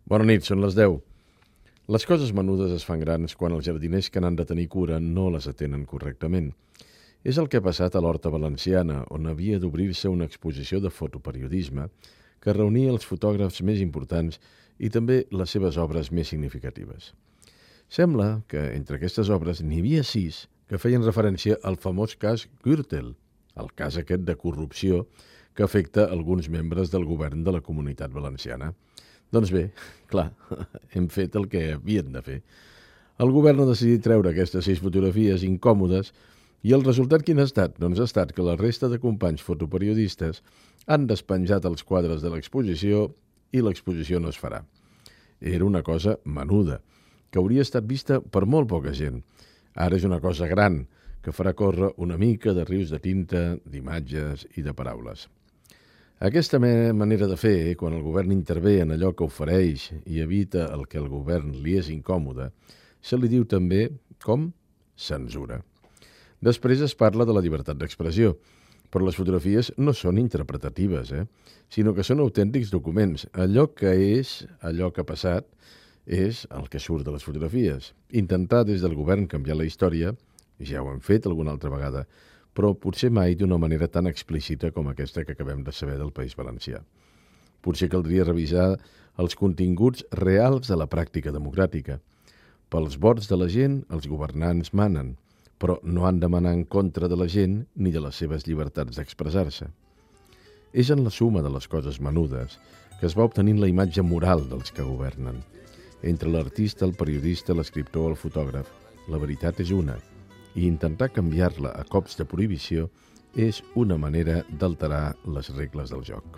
Bona nit, són les 10. Les coses menudes es fan grans quan els jardiners que n'han de tenir cura no les atenen correctament. És el que ha passat a l'Horta Valenciana, on havia d'obrir-se una exposició de fotoperiodisme que reunia els fotògrafs més importants i també les seves obres més significatives. Sembla que entre aquestes obres n'hi havia 6 que feien referència al famós cas Gürtel, el cas aquest de corrupció que afecta alguns membres del govern de la Comunitat Valenciana. Doncs bé, clar, hem fet el que havien de fer. El govern ha decidit treure aquestes 6 fotografies incòmodes i el resultat quin ha estat? Doncs ha estat que la resta de companys fotoperiodistes han despenjat els quadres de l'exposició i l'exposició no es farà. Era una cosa menuda, que hauria estat vista per molt poca gent. Ara és una cosa gran, que farà córrer una mica de rius de tinta, d'imatges i de paraules. Aquesta manera de fer, quan el govern intervé en allò que ofereix i evita el que al govern li és incòmode, se li diu també com censura. Després es parla de la llibertat d'expressió, però les fotografies no són interpretatives, sinó que són autèntics documents. Allò que és, allò que ha passat, és el que surt de les fotografies. Intentar des del govern canviar la història, ja ho hem fet alguna altra vegada, però potser mai d'una manera tan explícita com aquesta que acabem de saber del País Valencià. Potser caldria revisar els continguts reals de la pràctica democràtica. Pels vots de la gent, els governants manen, però no han de manar en contra de la gent ni de les seves llibertats d'expressar-se. És en la suma de les coses menudes que es va obtenint la imatge moral dels que governen. Entre l'artista, el periodista, l'escriptor o el fotògraf, la veritat és una, i intentar canviar-la a cops de prohibició és una manera d'alterar les regles del joc.